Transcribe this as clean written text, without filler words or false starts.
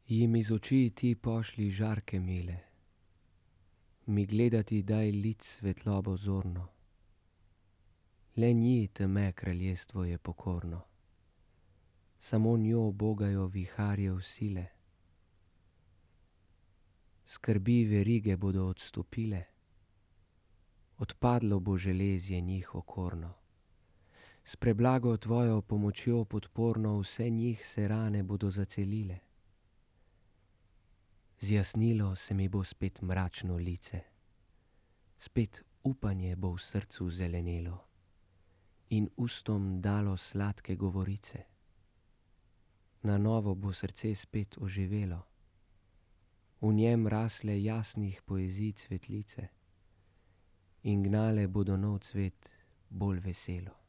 Jim iz oči ti pošlji žarke mile, mi gledati daj lic svetlobo zorno. Le nji teme kraljestvo je pokorno, samo njo bogajo viharjev sile. Skrbi verige bodo odstopile, odpadlo bo železje njih okorno. S preblago tvojo pomočjo podporno vse njih se rane bodo zacelile. Zjasnilo se mi bo spet mračno lice, spet upanje bo v srcu zelenelo in ustom dalo sladke govorice. Na novo bo srce spet oživelo, v njem rasle jasnih poezij cvetlice in gnale bodo nov cvet bolj veselo.